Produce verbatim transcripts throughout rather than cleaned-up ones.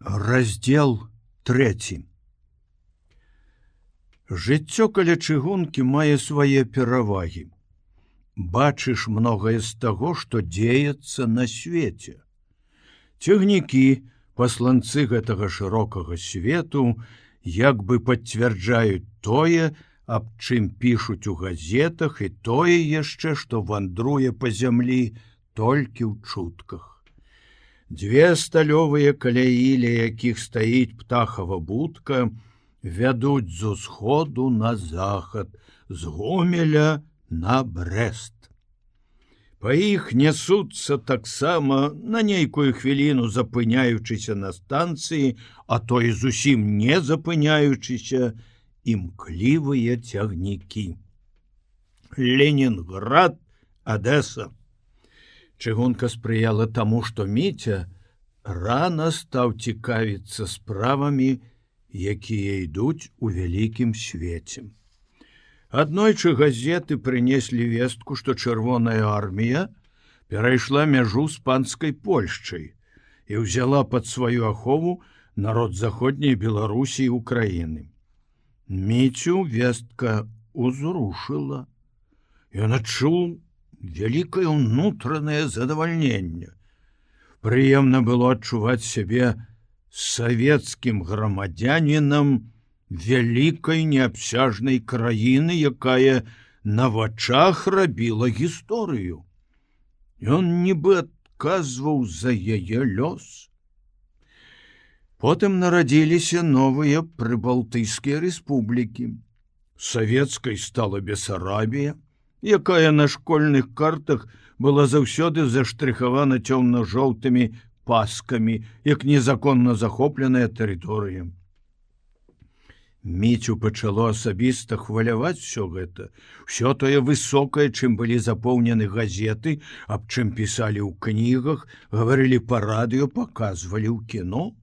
Раздел трэці. Жыццё каля чыгункі мае свае перавагі. Бачыш многае з таго, што дзеецца на свеце. Цягнікі, пасланцы гэтага шырокага свету, як бы пацвярджаюць тое, аб чым пішуць у газетах, і тое яшчэ, што вандруе па зямлі толькі ў чутках. Дзве сталёвыя каляі, ля якіх стаіць птахава будка, вядуць з усходу на захад, з Гомеля на Брэст. Па іх нясуцца таксама, на нейкую хвіліну запыняючыся на станцыі, а то і зусім не запыняючыся, імклівыя цягнікі. Ленінград, Адэса. Чыгунка спрыяла таму, што Міця рана стаў цікавіцца справамі, якія ідуць у вялікім свеце. Аднойчы газеты прынеслі вестку, што чырвоная армія перайшла мяжу з панскай Польшчай і ўзяла пад сваю ахову народ заходняй Беларусі і Украіны. Міцю вестка узрушыла. Ён адчуў вялікае ўнутранае задавальненне. Прыемна было адчуваць сябе савецкім грамадзянінам вялікай неабсяжнай краіны, якая на вачах рабіла гісторыю. Ён нібы адказваў за яе лёс. Потым нарадзіліся новыя прыбалтыйскія рэспублікі. Савецкай стала Бесарабія, якая на школьных картах была заўсёды заштрыхавана цёмна-жоўтымі паскамі, як незаконна захопленая тэрыторыя. Міцю пачало асабіста хваляваць усё гэта, усё тое высокае, чым былі запоўнены газеты, аб чым пісалі ў кнігах, гаварылі па радыё, паказвалі ў кіно.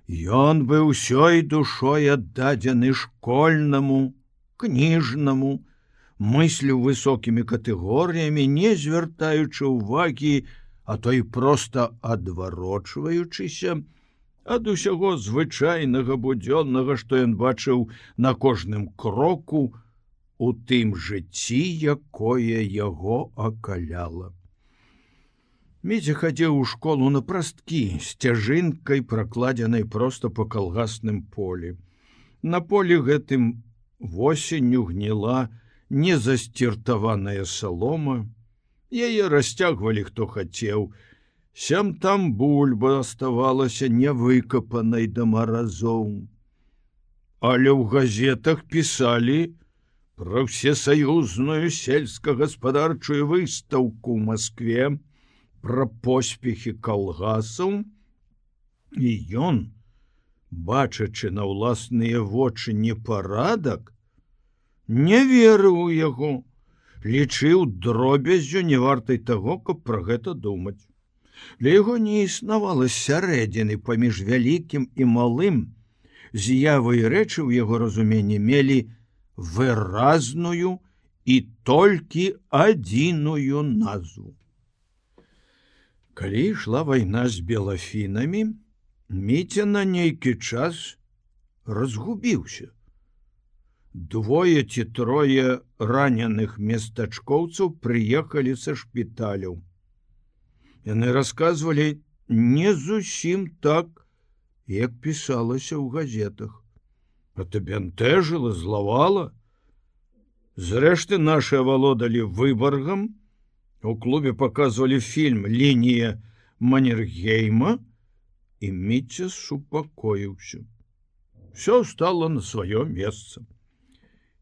Ён быў усёй душой аддадзены школьнаму, кніжнаму, мыслю высокімі катэгорыямі, не звяртаючы ўвагі, а то і проста адварочваючыся ад усяго звычайнага будзённага, што ён бачыў на кожным кроку у тым жыцці, якое яго акаляла. Міця хадзіў у школу на прасткі, сцяжынкай, пракладзенай проста па калгасным полі. На полі гэтым восенню гніла незасціртаваная салома, яе расцягвалі хто хацеў, сям там бульба аставалася невыкапанай да маразоў. Але ў газетах пісалі пра всесаюзную сельскагаспадарчую выстаўку ў Маскве, пра поспехі калгасаў, і ён, бачачы на ўласныя вочы непарадак, не верыў у яго, лічыў дробяззю не вартай таго, каб пра гэта думаць. Для яго не існавала сярэдзіны паміж вялікім і малым, з'явы і рэчы ў яго разуменні мелі выразную і толькі адзіную назву. Калі ішла вайна з белафінамі, Міця на нейкі час разгубіўся. Двое ці трое раненых местачкоўцаў прыехалі са шпіталяў. Яны расказвалі не зусім так, як пісалася ў газетах. Это бянтэжыла, злавала. Зрэшты, нашы авалодалі выбаргам. У клубе паказвалі фільм «Лінія Маннергейма», і Міця супакоіўся. Всё стало на сваё месца.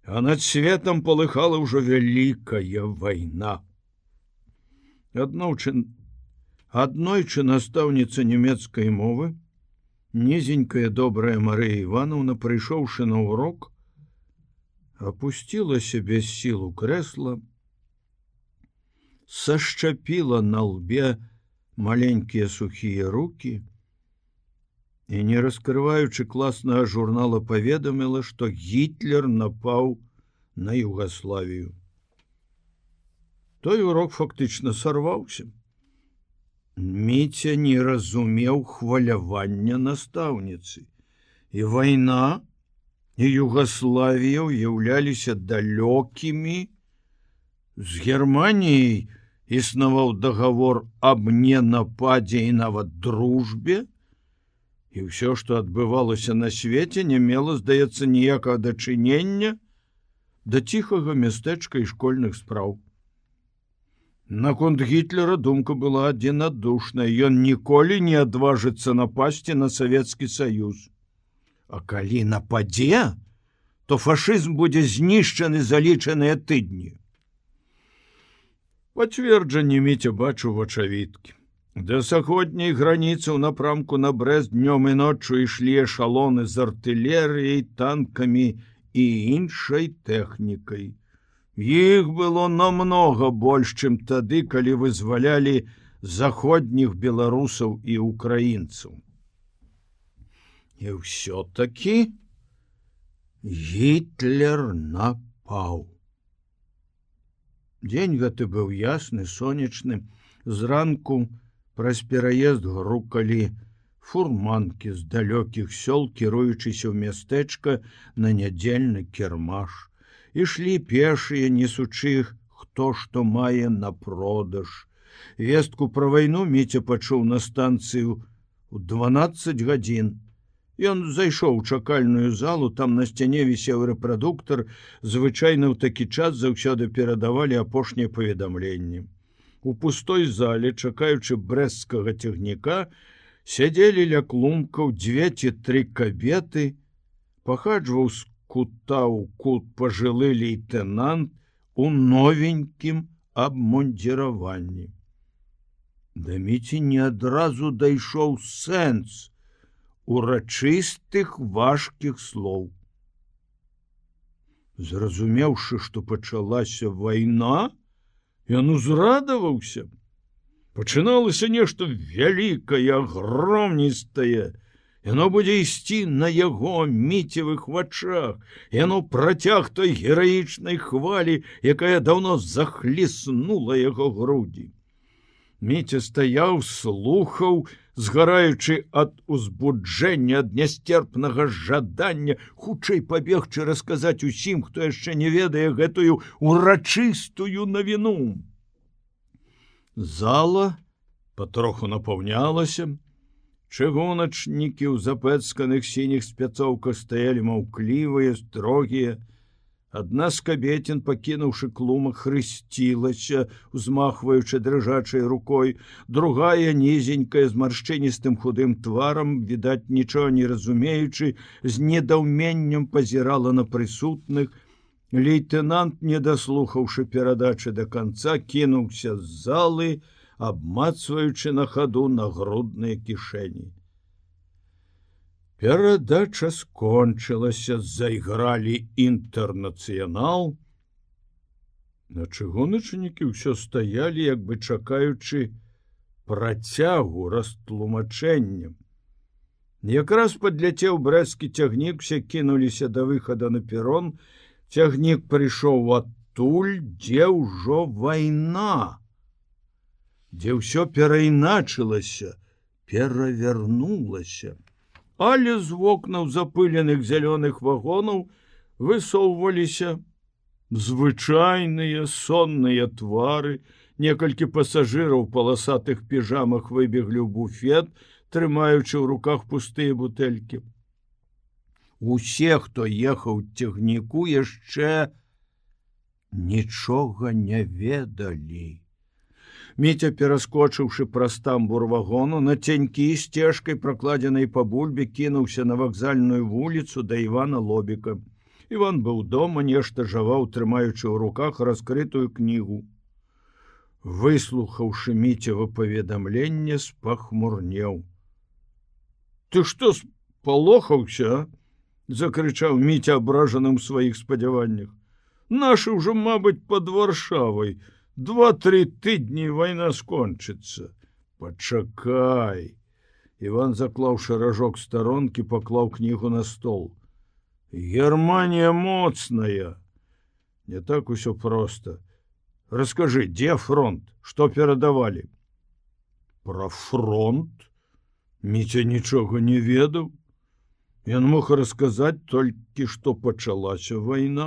А над светом полыхала ўжо вялікая вайна. Аднойчы, аднойчы настаўніца нямецкай мовы, нізенькая добрая Марыя Івановна, прыйшоўшы на урок, апусцілася без сіл у крэсла, сашчапіла на лбе маленькія сухія рукі і, не раскрываючы класнага журнала, паведаміла, што Гітлер напаў на Югаславію. Той урок фактычна сарваўся. Міця не разумеў хвалявання настаўніцы. І вайна, і Югаславія ўяўляліся далёкімі. З Германіяй існаваў дагавор аб ненападзе і нават дружбе, і ўсё, што адбывалася на свеце, не мела, здаецца, ніякага дачынення да ціхага мястэчка і школьных спраў. Наконт Гітлера думка была адзінадушная, ён ніколі не адважыцца напасці на Савецкі Саюз. А калі нападзе, то фашызм будзе знішчаны за лічаныя тыдні. Пацверджанне Міця бачыў вачавіткі. Да заходняй граніцы ў напрамку на Брэст днём і ноччу ішлі эшалоны з артылерыяй, танкамі і іншай тэхнікай. Іх было намнога больш, чым тады, калі вызвалялі заходніх беларусаў і украінцаў. І ўсё-такі Гітлер напаў. Дзень гэты быў ясны, сонечны. Зранку праз пераезд грукалі фурманкі з далёкіх сёл, кіруючыся ў мястэчка на нядзельны кірмаш. Ішлі пешыя, несучы іх, хто што мае на продаж. Вестку пра вайну Міця пачуў на станцыю ў дванаццаць гадзін. Ён зайшоў у чакальную залу, там на сцяне вісеў рэпрадуктар, звычайна ў такі час заўсёды перадавалі апошнія паведамленні. У пустой зале, чакаючы брэсцкага цягніка, сядзелі ля клумкаў дзве ці тры кабеты, пахаджваў з кута ў кут пажылы лейтэнант у новенькім абмундзіраванні. Да Міці не адразу дайшоў сэнс урачыстых важкіх слоў. Зразумеўшы, што пачалася вайна, ён узрадаваўся. Пачыналася нешта вялікае, агромністае. Яно будзе ісці на яго Міцевых вачах. Яно працяг той гераічнай хвалі, якая даўно захліснула яго грудзі. Міця стаяў, слухаў, згараючы ад узбуджэння, ад нясцерпнага жадання хутчэй пабегчы расказаць усім, хто яшчэ не ведае гэтую урачыстую навіну. Зала патроху напаўнялася. Чыгуначнікі ў запэцканых сініх спецоўках стаялі маўклівыя, строгія. Адна з кабецін, пакінуўшы клумак, хрысцілася, узмахваючы дрыжачай рукой. Другая, нізенькая, з маршчыністым худым тварам, відаць, нічога не разумеючы, з недаўменнем пазірала на прысутных. Лейтэнант, не даслухаўшы перадачы да канца, кінуўся з залы, абмацваючы на хаду нагрудныя кішэні. Перадача скончылася, зайгралі «Інтэрнацыянал». На чыгуначнікі ўсё стаялі, як бы чакаючы працягу, растлумачэння. Якраз падляцеў брэсцкі цягнік, усе кінуліся да выхада на перон. Цягнік прыйшоў адтуль, дзе ўжо вайна, дзе ўсё перайначылася, перавярнулася. Але з вокнаў запыленых зялёных вагонаў высоўваліся звычайныя сонныя твары. Некалькі пасажыраў у паласатых піжамах выбеглі ў буфет, трымаючы ў руках пустыя бутэлькі. Усе, хто ехаў цягніку, яшчэ нічога не ведалі. Міця, пераскочыўшы праз тамбур вагону, на цянькі сцежкай, пракладзенай па бульбе, кінуўся на вакзальную вуліцу да Івана Лобіка. Іван быў дома, нешта жаваў, трымаючы ў руках раскрытую кнігу. Выслухаўшы Міцева паведамленне, спахмурнеў. «Ты што, спалохаўся?» — закрычаў Міця, абражаным у сваіх спадзяваннях. «Нашы ўжо, мабыць, пад Варшавай. Два-тры тыдні вайна скончыцца. Пачакай!» Іван, заклаўшы ражок старонкі, паклаў кнігу на стол. «Германія моцная!» «Не так усё проста. Раскажы, дзе фронт, што перадавалі?» Пра фронт Міця нічога не ведаў. Ён мог расказаць толькі, што пачалася вайна.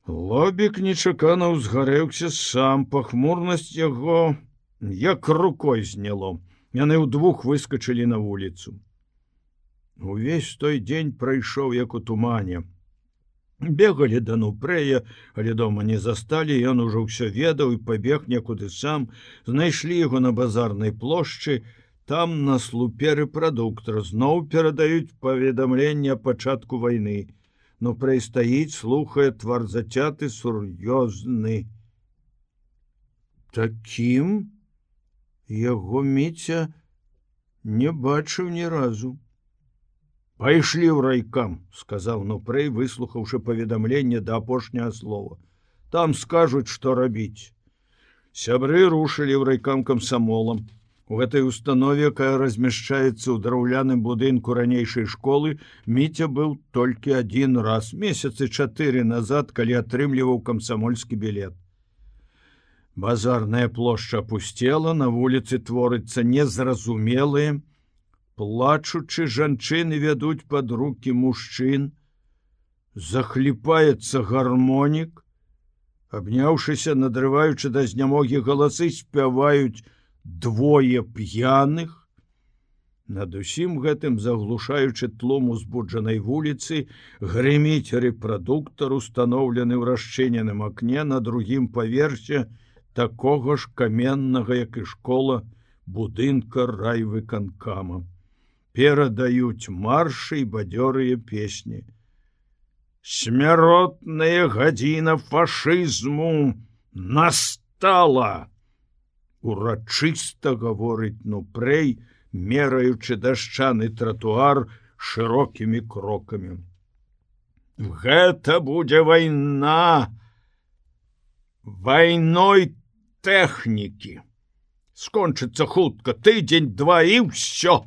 Лобік нечакана ўзгарэўся сам, пахмурнасць яго як рукой зняло. Яны ўдвух выскачылі на вуліцу. Увесь той дзень прайшоў як у тумане. Бегалі да Нупрэя, але дома не засталі, ён ужо ўсё ведаў і пабег некуды сам. Знайшлі яго на базарнай плошчы, там на слупе рэпрадуктар зноў перадаюць паведамленне о пачатку вайны. Нупрэй стаіць, слухае, твар зацяты, сур'ёзны. Такім яго Міця не бачыў ні разу. «Пайшлі ў райкам», — сказаў Нупрэй, выслухаўшы паведамленне да апошняга слова. «Там скажуць, што рабіць». Сябры рушылі ў райкам камсамолам. У гэтай установе, якая размяшчаецца ў драўляным будынку ранейшай школы, Міця быў толькі адзін раз, месяцы чатыры назад, калі атрымліваў камсамольскі білет. Базарная плошча апусцела, на вуліцы творыцца незразумелыя. Плачучы жанчыны вядуць пад рукі мужчын. Захліпаецца гармонік. Абняўшыся, надрываючы да знямогі галасы, спяваюць двое п'яных. Над усім гэтым, заглушаючы тлум узбуджанай вуліцы, грыміць рэпрадуктар, устаноўлены ў расчыненым акне на другім паверсе такога ж каменнага, як і школа, будынка райвыканкама. Перадаюць маршы і бадзёрыя песні. «Смяротная гадзіна фашызму настала!» Урачыста гаворыць Нупрэй, мераючы дашчаны тратуар шырокімі крокамі. «Гэта будзе вайна! Вайной тэхнікі! Скончыцца хутка, тыдзень-два і ўсё!»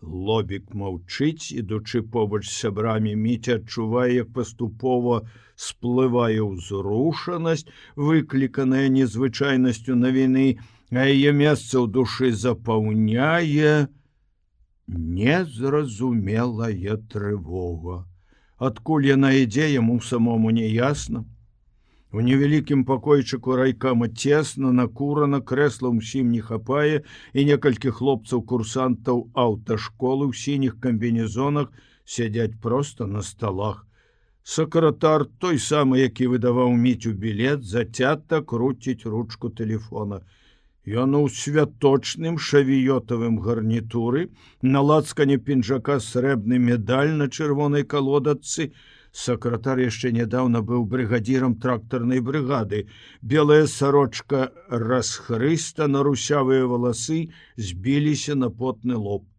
Лобік маўчыць, ідучы побач з сябрамі. Міця адчувае, як паступова сплывае ўзрушанасць, выкліканая незвычайнасцю навіны, а яе месца ў душы запаўняе незразумелая трывога. Адкуль яна ідзе, яму самому не ясна. У невялікім пакойчыку райкама цесна, накурана, крэсла ўсім не хапае, і некалькі хлопцаў-курсантаў аўташколы ў сініх камбінезонах сядзяць проста на сталах. Сакратар, той самы, які выдаваў Міцю білет, зацята круціць ручку тэлефона. Ён у святочным шавіётавым гарнітуры, на лацкане пінжака срэбны медаль на чырвонай калодачцы. Сакратар яшчэ нядаўна быў брыгадзірам трактарнай брыгады. Белая сарочка расхрыстана, русявыя валасы збіліся на потны лоб.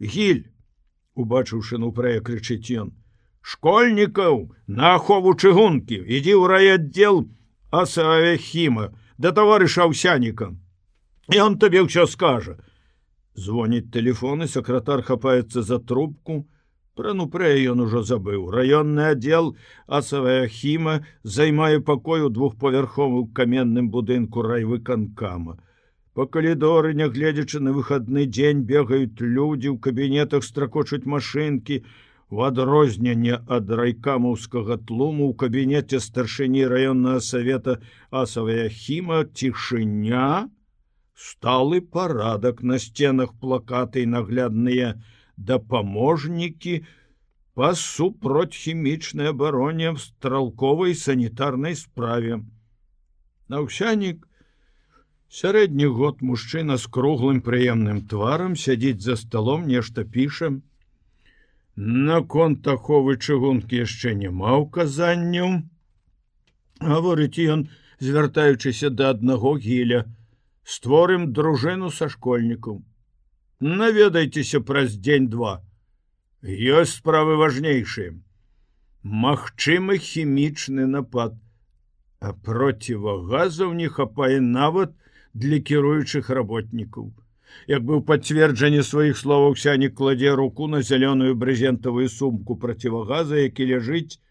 «Гіль!» — убачыўшы Нупрэя, крычыць ён. «Школьнікаў на ахову чыгункі! Ідзі ў райаддзел Асавяхіма да таварыша Аўсяніка. Ён табе ўсё скажа». Звоніць тэлефон, і сакратар хапаецца за трубку. Пра Нупрэя ён ужо забыў. Раённы аддзел Асавяхіма займае пакой у двухпавярховым каменным будынку райвыканкама. Па калідоры, нягледзячы на выхадны дзень, бегаюць людзі, у кабінетах стракочуць машынкі. У адрозненне ад райкамаўскага тлуму ў кабінеце старшыні раённага савета Асавяхіма цішыня, сталы парадак, на сценах плакаты і наглядныя дапаможнікі па супроцьхімічнай абароне в стралковай санітарнай справе. Аўсянік, сярэдні год мужчына з круглым прыемным тварам, сядзіць за сталом, нешта піша. Наконт аховы чыгункі яшчэ няма ўказанняў. Гаворыць ён, звяртаючыся да аднаго Гіля. Створым дружыну са школьнікаў. Наведайцеся праз дзень-два. Ёсць справы важнейшыя. Магчымы хімічны напад, а процівагазаў не хапае нават для кіруючых работнікаў. Як быў пацверджанне сваіх словаў, Аўсянік кладзе руку на зялёную брызентавую сумку процівагаза, які ляжыць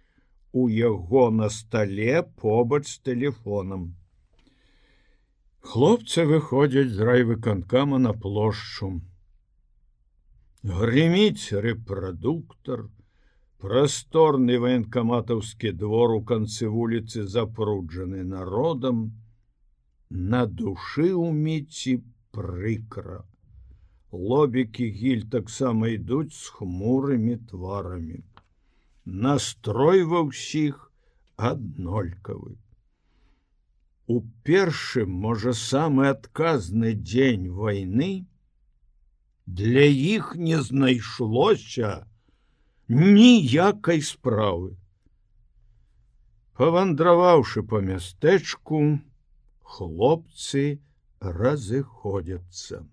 у яго на стале побач з тэлефонам. Хлопцы выходзяць з райвыканкама на плошчу. Грыміць рэпрадуктар, прасторны ваенкаматаўскі двор у канцы вуліцы запруджаны народам, на душы ўміці прыкра. Лобікі гіль таксама ідуць з хмурымі тварамі. Настрой ва ўсіх аднолькавы. У першы, можа, самы адказны дзень вайны для іх не знайшлося ніякай справы. Павандраваўшы па мястэчку, хлопцы разыходзяцца.